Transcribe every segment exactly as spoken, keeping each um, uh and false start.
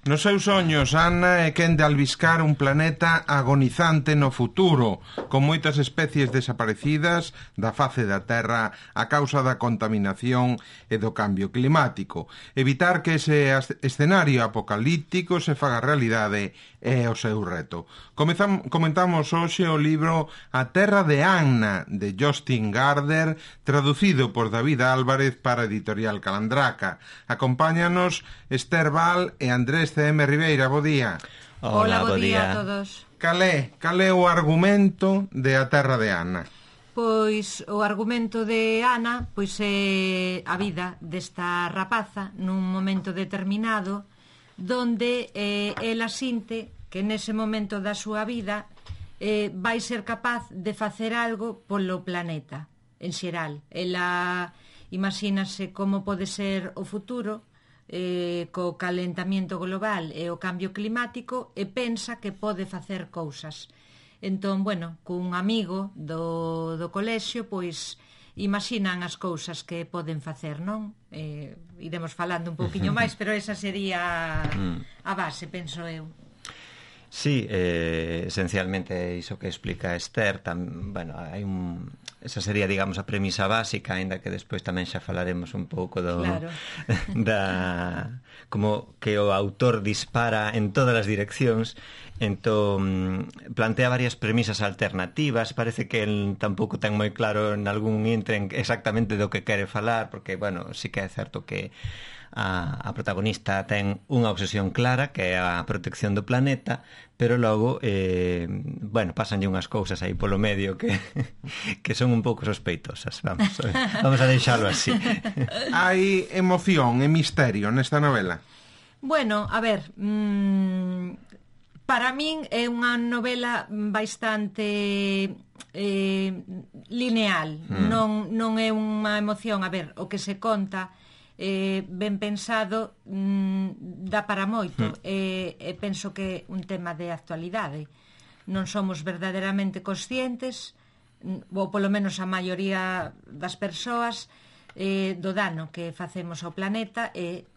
Nos seus soños, Ana é quen de albiscar un planeta agonizante no futuro, con moitas especies desaparecidas da face da Terra a causa da contaminación e do cambio climático. Evitar que ese escenario apocalíptico se faga realidade é o seu reto. Comezam, comentamos hoxe o libro A Terra de Anna, de Jostein Gaarder, traducido por David Álvarez para a editorial Calandraca. Acompáñanos Esther Val e Andrés C M Ribeira. Bo día. Hola, bo día a todos. Calé, calé o argumento de A Terra de Anna? Pois o argumento de Ana pois é a vida desta rapaza nun momento determinado donde eh, ela sinte que nese momento da súa vida eh, vai ser capaz de facer algo polo planeta en xeral. Ela imagínase como pode ser o futuro eh, co calentamiento global e o cambio climático e pensa que pode facer cousas. Entón, bueno, cun amigo do, do colexio, pois imaginan as cousas que poden facer, non? Eh, iremos falando un pouquiño máis, pero esa sería a base, penso eu. Sí, eh, esencialmente iso que explica Esther, tam, bueno, hai un... esa sería, digamos, a premisa básica, aínda que despois tamén xa falaremos un pouco do claro. da como que o autor dispara en todas as direccións. Entón, plantea varias premisas alternativas. Parece que el tampouco ten moi claro en algún intre exactamente do que quere falar, porque, bueno, sí que é certo que a, a protagonista ten unha obsesión clara, que é a protección do planeta, pero logo, eh, bueno, pasanlle unhas cousas aí polo medio que, que son un pouco sospeitosas. Vamos, vamos a deixalo así. Hai emoción e misterio nesta novela? Bueno, a ver... Mmm... para min é unha novela bastante eh, lineal, mm. non, non é unha emoción. A ver, o que se conta eh, ben pensado mm, dá para moito mm. e, e penso que é un tema de actualidade. Non somos verdadeiramente conscientes, ou polo menos a maioría das persoas, eh, do dano que facemos ao planeta e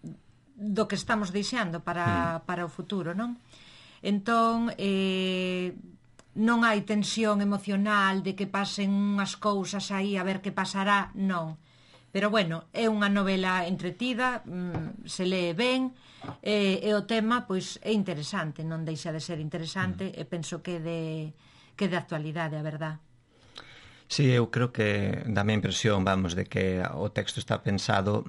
do que estamos deixando para, mm. para o futuro, non? Entón, eh, non hai tensión emocional de que pasen unhas cousas aí a ver que pasará, non. Pero, bueno, é unha novela entretida, mm, se lee ben, e, e o tema, pois, é interesante, non deixa de ser interesante, mm. e penso que de, que de actualidade, a verdad. Sí, eu creo que dá-me a impresión, vamos, de que o texto está pensado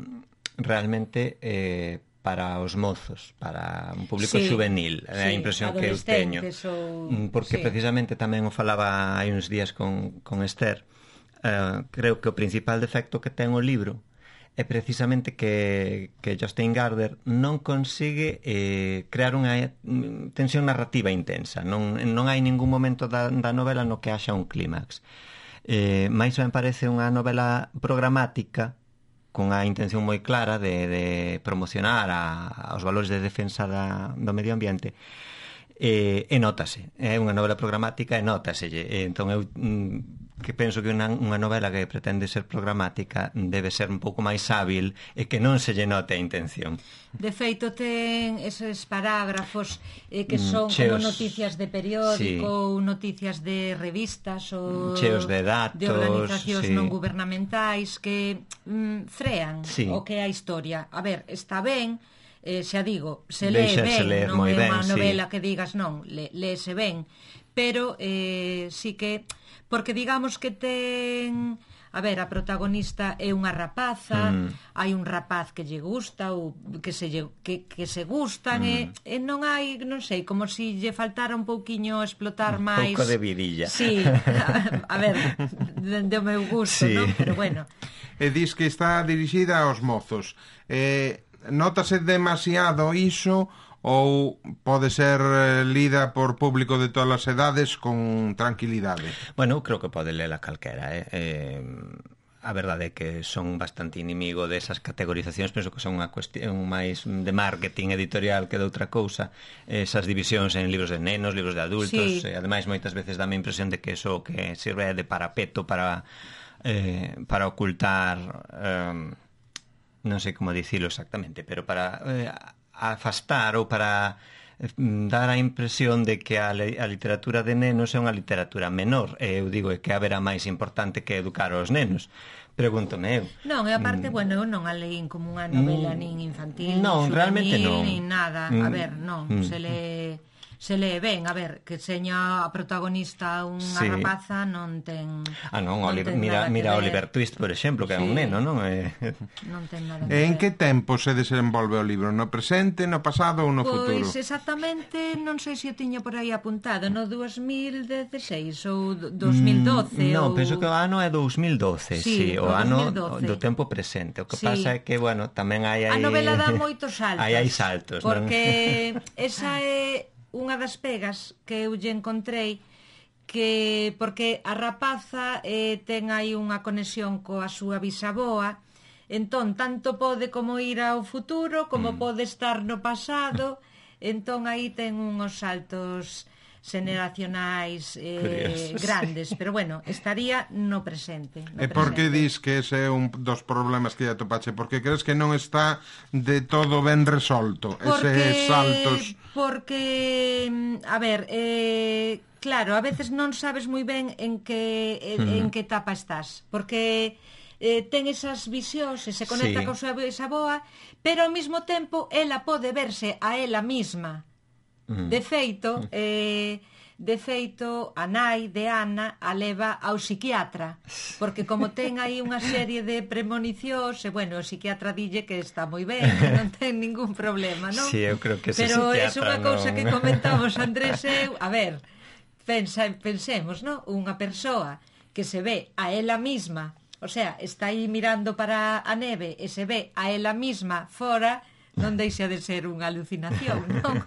realmente... Eh, para os mozos, para un público sí, juvenil, é a impresión que eu teño. Ou... Porque sí. Precisamente tamén o falaba hai uns días con, con Esther, uh, creo que o principal defecto que ten o libro é precisamente que, que Jostein Gaarder non consigue eh, crear unha tensión narrativa intensa. Non, non hai ningún momento da, da novela no que haxa un clímax. Eh, máis me parece unha novela programática con a intención moi clara de, de promocionar a, aos valores de defensa da, do medio ambiente, e, e notase, é unha novela programática e notase, e, entón eu mm, que penso que unha, unha novela que pretende ser programática debe ser un pouco máis hábil e que non se lle note a intención. De feito ten eses parágrafos eh, que son cheos, como noticias de periódico, sí. ou noticias de revistas ou cheos de datos, de organizacións sí. non gubernamentais que mm, frean sí. o que é a historia. A ver, está ben, eh, xa digo, se lee ben, non é unha novela sí. que digas non, le, léese ben, pero eh, sí que, porque digamos que ten, a ver, a protagonista é unha rapaza, mm. hai un rapaz que lle gusta ou que se lle, que, que se gustan mm. e, e non hai, non sei, como si lle faltara un pouquiño explotar un máis. Un pouco de virilla. Sí, a, a ver, de, de o meu gusto, sí. non? Pero bueno. E dis que está dirixida aos mozos. Eh, notase demasiado iso ou pode ser lida por público de todas as edades con tranquilidade? Bueno, creo que pode lela calquera, eh? eh a verdade é que son bastante inimigo desas categorizacións, penso que son unha cuestión máis de marketing editorial que de outra cousa, esas divisións en libros de nenos, libros de adultos, sí. E ademais moitas veces dá a impresión de que eso que sirve de parapeto para eh, para ocultar eh, non sei como dicilo exactamente, pero para eh, afastar ou para dar a impresión de que a, a literatura de nenos é unha literatura menor. E eu digo que haberá máis importante que educar os nenos. Pregúntome eu. Non, e aparte, mm. bueno, eu non a leín como unha novela mm. nin infantil, non, nin realmente non. nin nada. Mm. A ver, non, mm. se le... se lee ben, a ver, que seña a protagonista unha sí. rapaza non ten... Ah, non, non Oliver, mira, mira Oliver Twist, por exemplo, que sí. é un neno, non? É... Non ten nada que ver. En ver. que tempo se desenvolve o libro? No presente, no pasado ou no pois, futuro? Pois exactamente, non sei se o tiña por aí apuntado, no dous mil dezasseis ou dos mil doce. Mm, non, ou... penso que o ano é dous mil doce, sí, sí o, o ano dos mil doce. Do tempo presente. O que sí. pasa é que, bueno, tamén hai... A novela dá moitos saltos. Aí hai saltos, porque non? esa é unha das pegas que eu lle encontrei, que porque a rapaza eh, ten aí unha conexión coa súa bisaboa, entón tanto pode como ir ao futuro como mm. pode estar no pasado, entón aí ten uns saltos xeneracionais eh, grandes, pero bueno, estaría no presente. No e por que dis que ese é un dos problemas que ya topache? Porque crees que non está de todo ben resolto, porque, eses saltos? Porque, a ver, eh, claro, a veces non sabes moi ben en que, en, mm. en que etapa estás, porque eh, ten esas visións e se conecta sí. con súa bisaboa, pero ao mesmo tempo ela pode verse a ela mesma. De feito, eh, de feito, a nai de Ana a leva ao psiquiatra, porque como ten aí unha serie de premonicións, e bueno, o psiquiatra dille que está moi ben, que non ten ningún problema, non? Sí, eu creo que ese pero psiquiatra é unha non... cousa que comentamos Andrés e eu, a ver, pensa, pensemos, non? Unha persoa que se ve a ela mesma, o sea, está aí mirando para a neve e se ve a ela mesma fora, non deixa de ser unha alucinación, non?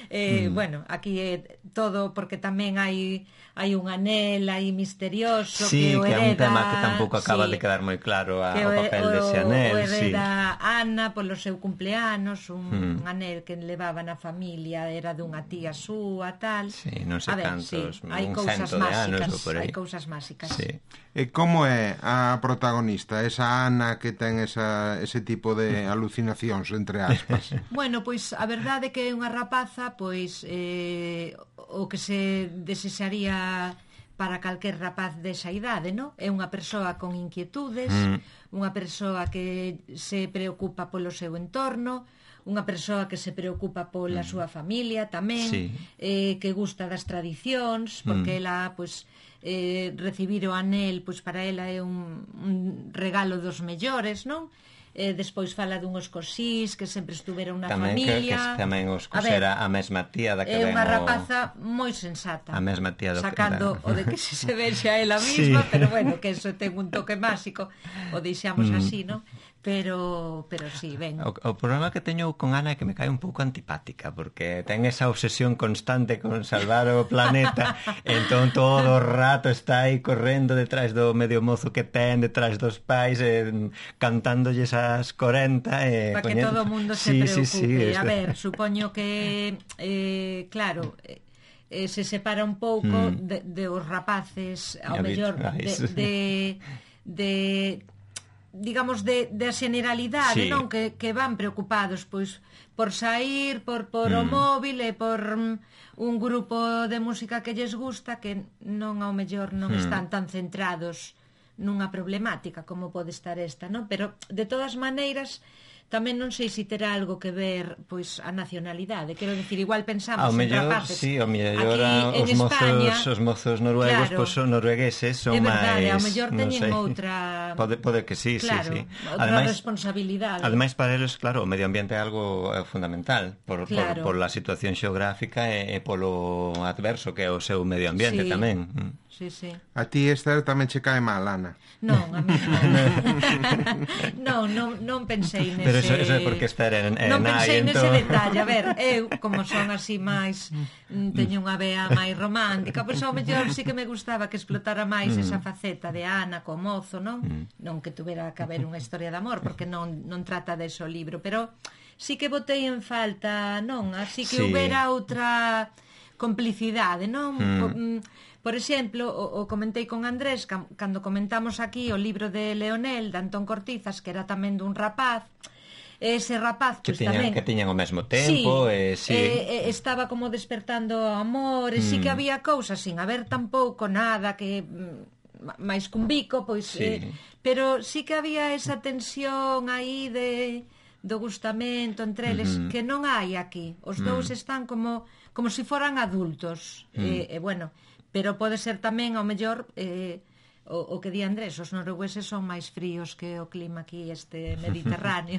eh, mm. Bueno, aquí é todo porque tamén hai hai un anel aí misterioso sí, que o hereda... Sí, que é un tema que tampouco acaba sí, de quedar moi claro a, o, o papel o, dese anel. O hereda sí. Ana polo seu cumpleanos, un, mm. un anel que levaba na familia, era dunha tía súa, tal... Sí, non sei ver, cantos, sí, hai un cousas cento de anos máxicas, ou por aí. Hai cousas máxicas. Sí. E como é a protagonista, esa Ana que ten esa, ese tipo de alucinacións, entre aspas? Bueno, pois a verdade é que é unha rapaza, pois eh, o que se desexaría para calquer rapaz desa idade, non? É unha persoa con inquietudes, mm. unha persoa que se preocupa polo seu entorno, unha persoa que se preocupa pola mm. súa familia tamén, sí. eh, que gusta das tradicións, porque mm. ela, pois, eh, recibir o anel, pois para ela é un, un regalo dos mellores, non? Eh, despois fala dunhos cosís que sempre estuveron na tamén familia. Tamén que tamén os cosera a, a mesma tía da que é unha o... rapaza moi sensata. A mesma tía do sacando que... o de que se se vexe a ela mesma, sí. Pero bueno, que eso ten un toque máxico, o deixamos mm. así, non? Pero, pero sí, ben. O, o problema que teño con Ana é que me cae un pouco antipática, porque ten esa obsesión constante con salvar o planeta, entón todo o rato está aí correndo detrás do medio mozo que ten, detrás dos pais, eh, cantándolles as corenta. Eh, para que todo o mundo sí, se preocupe. Sí, sí, a ver, supoño que, eh, claro... Eh, se separa un pouco mm. de, de os rapaces, ao mellor, de... de, de digamos, de, de a generalidade, sí. Non? Que, que van preocupados, pois, por sair, por, por mm. o móvil e por um, un grupo de música que lles gusta, que non, ao mellor, non mm. están tan centrados nunha problemática como pode estar esta, non? Pero, de todas maneiras, tamén non sei se terá algo que ver, pois, a nacionalidade. Quero dicir, igual pensamos en mellor, rapaces. Sí, ao mellor os mozos, os mozos noruegos, claro, pois, son noruegueses, son máis... É verdade, ao mellor teñen outra... Pode, pode que sí, claro, sí, sí. Outra ademais, responsabilidade. Ademais, para eles, claro, o medio ambiente é algo é fundamental por, claro. por, por la situación xeográfica e, e polo adverso que é o seu medio ambiente, sí. Tamén. Sí, sí. A ti, Esther, tamén che cae mal, Ana? Non, a mí non. non, non, non pensei nese... Pero eso, eso é porque Esther é, é non pensei nai, nese entón... detalle. A ver, eu, como son así máis... Teño unha vea máis romántica, pois ao mellor sí que me gustaba que explotara máis esa faceta de Ana co mozo, non? Non que tuvera que haber unha historia de amor, porque non, non trata de eso o libro, pero sí que botei en falta, non? Así que sí. Houbera outra complicidade, non? Mm. Por, por exemplo, o, o comentei con Andrés cando comentamos aquí o libro de Leonel, de Antón Cortizas, que era tamén dun rapaz, ese rapaz que pues, tiñan, tamén que tiñan o mesmo tempo, sí, e, sí. E, e, estaba como despertando amor, e mm. sí que había cousas sin haber tampouco nada que máis cun bico, pois sí. eh, pero sí que había esa tensión aí de do gustamento entre eles, uh-huh. que non hai aquí. Os mm. dous están como como se si foran adultos. Mm. E, e bueno, pero pode ser tamén ao mellor eh, o, o que di Andrés, os noruegueses son máis fríos que o clima aquí este mediterráneo.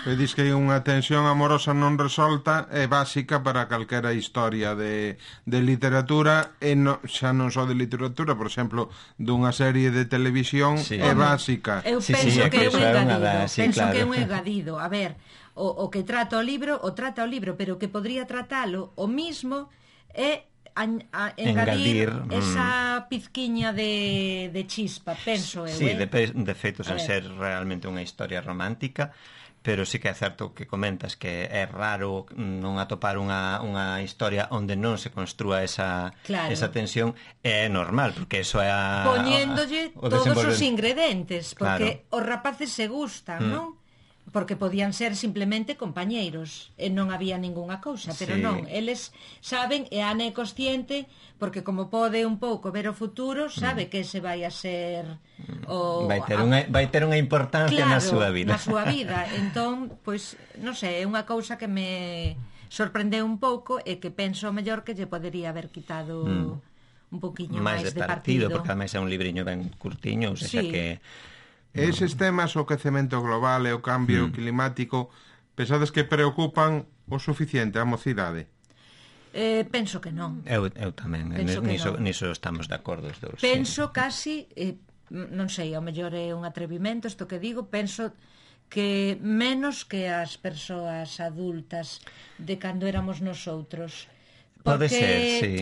E dis que unha tensión amorosa non resolta é básica para calquera historia de, de literatura, e no, xa non só de literatura, por exemplo, dunha serie de televisión, sí. é básica. Eu sí, penso sí, que é un engadido, da, sí, penso claro. que é un engadido. A ver, o, o que trata o libro, o trata o libro, pero que podría tratalo o mismo é a, a engadir, engadir esa mm. pizquiña de, de chispa, penso eu. Sí, eh? de, de feito, sen ser realmente unha historia romántica, pero sí que é certo que comentas que é raro non atopar unha, unha historia onde non se construa esa, claro. esa tensión, é normal, porque eso é a... Poñéndolle o, o todos os ingredientes, porque claro. os rapaces se gustan, mm. non? Porque podían ser simplemente compañeiros e non había ningunha cousa, pero sí. non, eles saben e Ana é consciente, porque como pode un pouco ver o futuro, sabe mm. que ese vai a ser o vai ter unha vai ter unha importancia claro, na súa vida. Na súa vida. Entón, pois, non sei, é unha cousa que me sorprendeu un pouco e que penso mellor que lle podería haber quitado mm. un poquiño máis, máis de partido, partido, porque ademais é un libriño ben curtiño, ou seja sí. que eses temas, o quecemento global e o cambio mm. climático, pensades que preocupan o suficiente a mocidade? Eh, penso que non. Eu, eu tamén, niso, no. niso estamos de acordo os dous. Penso sí. casi, eh, non sei, ao mellor é un atrevimento isto que digo, penso que menos que as persoas adultas de cando éramos nosoutros. Pode porque, ser, sí.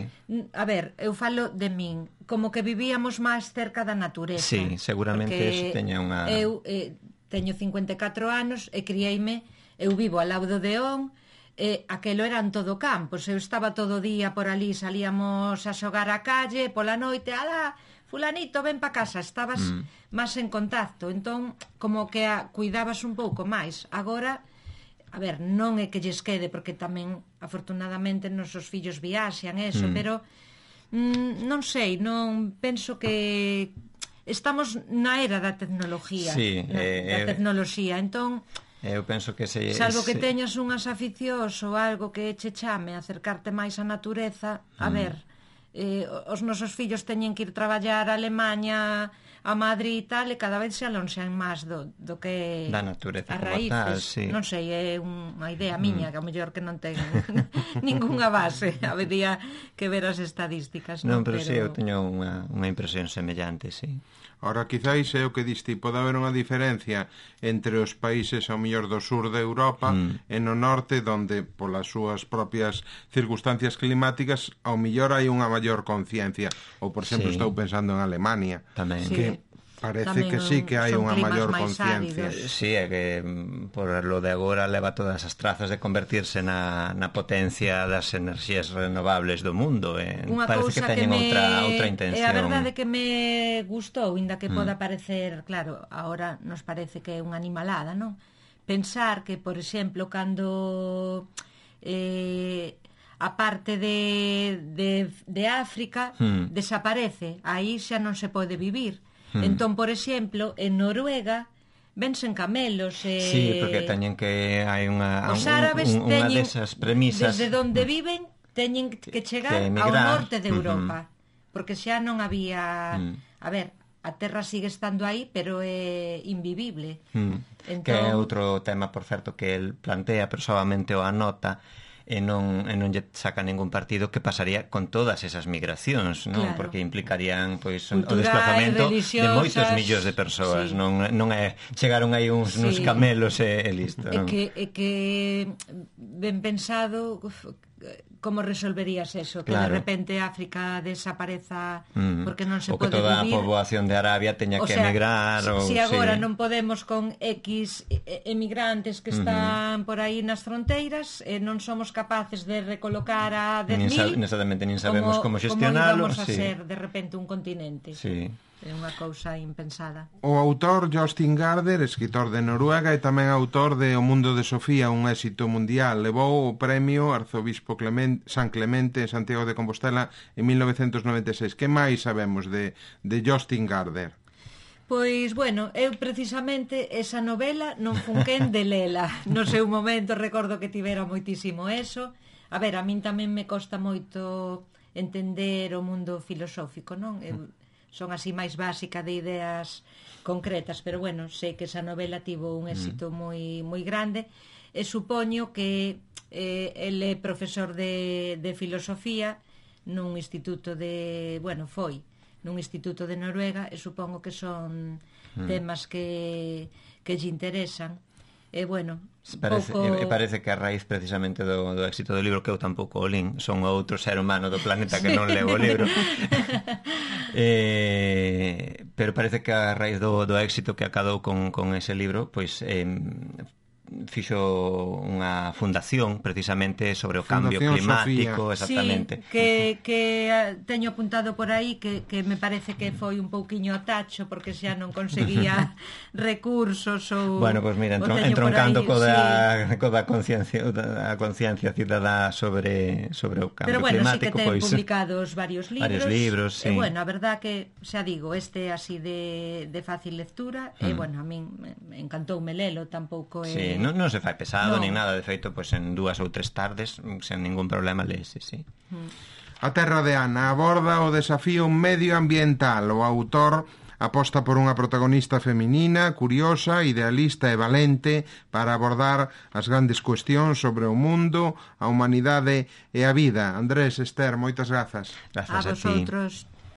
A ver, eu falo de min, como que vivíamos máis cerca da natureza. Sí, seguramente eso teña unha... Eu eh, teño cincuenta e catro anos e criei-me, eu vivo ao lado do Deón, e aquelo eran todo campos, eu estaba todo o día por ali, salíamos a xogar á calle, pola noite, ala, fulanito, ven pa casa, estabas mm. máis en contacto, entón, como que a, cuidabas un pouco máis. Agora... A ver, non é que lles quede, porque tamén, afortunadamente, nosos fillos viaxan, eso, mm. pero mm, non sei, non penso que estamos na era da tecnología, sí, na, eh, da tecnoloxía, entón, eu penso que se, salvo que se... teñas unhas aficións ou algo que che chame a acercarte máis á natureza, a mm. ver, eh, os nosos fillos teñen que ir traballar a Alemanha, a Madrid e tal, e cada vez se alonxan máis do, do que da natureza as raíces. Tal, sí. Non sei, é unha idea miña, mm. que ao mellor que non ten ningunha base, habería que ver as estadísticas. Non, non pero, pero sí, eu teño unha, unha impresión semellante, sí. Ora, quizáis é o que diste, pode haber unha diferencia entre os países ao mellor do sur de Europa mm. e no norte, donde polas súas propias circunstancias climáticas ao mellor hai unha maior conciencia, ou por exemplo sí. estou pensando en Alemania, tamén. Que sí. parece Tamén que sí que hai unha maior áridos. conciencia. Sí, é que por lo de agora leva todas as trazas de convertirse na, na potencia das enerxías renovables do mundo. Eh. Parece que teñen que me... outra, outra intención. É a verdade que me gustou, inda que mm. poda parecer, claro, ahora nos parece que é unha animalada, non? Pensar que, por exemplo, cando eh, a parte de, de, de África mm. desaparece, aí xa non se pode vivir. Entón, por exemplo, en Noruega vensen camelos e... Sí, porque teñen que hai unha os árabes un, un, unha desas premisas desde onde viven teñen que chegar que ao norte de Europa, uh-huh. porque xa non había uh-huh. a ver, a terra sigue estando aí, pero é invivible. Uh-huh. Entón... Que é outro tema, por certo, que el plantea, pero solamente o anota, e non, e non lle saca ningún partido, que pasaría con todas esas migracións, non? Claro. Porque implicarían pois culturais, o desplazamento de moitos millóns de persoas, sí. non, non é chegaron aí uns, sí. uns camelos e, e listo. É que, é que ben pensado, como resolverías eso? Que claro. de repente África desapareza mm. porque non se pode vivir. O que toda vivir. A poboación de Arabia teña o que sea, emigrar. Si, ou, si agora sí. non podemos con X emigrantes que están uh-huh. por aí nas fronteiras, e non somos capaces de recolocar a dez mil, nin sa- nin sabemos como, como xestionalo. Como íbamos a sí. ser de repente un continente? Sí. é unha cousa impensada. O autor Jostein Gaarder, escritor de Noruega e tamén autor de O mundo de Sofía, un éxito mundial, levou o premio Arzobispo Clemente, San Clemente en Santiago de Compostela en mil novecentos noventa e seis. Que máis sabemos de, de Jostein Gaarder? Pois, bueno, eu precisamente esa novela non funquén de lela. No seu momento recordo que tivera moitísimo eso. A ver, a min tamén me costa moito entender o mundo filosófico, non? Eu son así máis básica de ideas concretas, pero bueno, sei que esa novela tivo un éxito moi moi grande e supoño que eh, el é profesor de, de filosofía nun instituto de, bueno, foi nun instituto de Noruega e supongo que son mm. temas que que lle interesan. E bueno, parece, pouco... e parece que a raíz precisamente do, do éxito do libro, que eu tampouco o lín, son outro ser humano do planeta que non leo o libro. eh, pero parece que a raíz do, do éxito que acadou con, con ese libro, pois eh, fixo unha fundación precisamente sobre o cambio Fundación climático, Sofía. exactamente. Sí, que, que teño apuntado por aí que, que me parece que foi un pouquiño a tacho porque xa non conseguía recursos ou... Bueno, pois pues mira, entron, entroncando co da, sí. co da conciencia a conciencia cidadá sobre, sobre o cambio Pero bueno, climático. Sí que ten pois, publicados varios libros. Varios libros, sí. E bueno, a verdad que, xa digo, este así de, de fácil lectura, mm. e bueno, a min me encantoume lelo, tampouco é... Sí, non, non se fai pesado, no. nin nada, de feito, pois en dúas ou tres tardes, sen ningún problema lese, sí. A Terra de Ana aborda o desafío medioambiental. O autor aposta por unha protagonista feminina, curiosa, idealista e valente para abordar as grandes cuestións sobre o mundo, a humanidade e a vida. Andrés, Esther, moitas grazas. Grazas a a ti. vosotros.